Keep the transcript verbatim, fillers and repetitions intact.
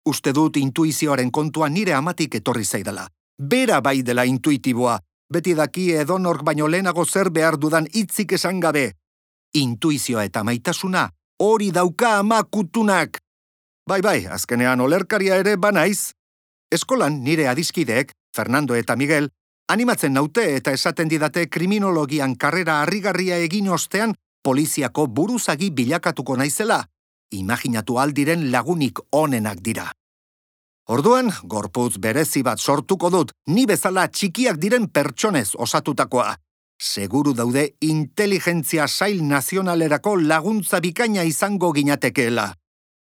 Uste dut intuizioaren kontua nire amatik etorri zaidala. Bera bai dela intuitiboa, beti daki edonork baino lehenago zer behar dudan hitzik esan gabe. Intuizioa eta maitasuna, hori dauka ama kutunak. Bai bai, azkenean olerkaria ere banaiz. Eskolan nire adiskideek, Fernando eta Miguel, animatzen naute eta esaten didate kriminologian karrera harrigarria egin ostean poliziako buruzagi bilakatuko naizela. Imaginatu aldiren lagunik onenak dira. Orduan, gorputz berezi bat sortuko dut, ni bezala txikiak diren pertsonez osatutakoa. Seguru daude inteligentzia sail nazionalerako laguntza bikaina izango ginatekeela.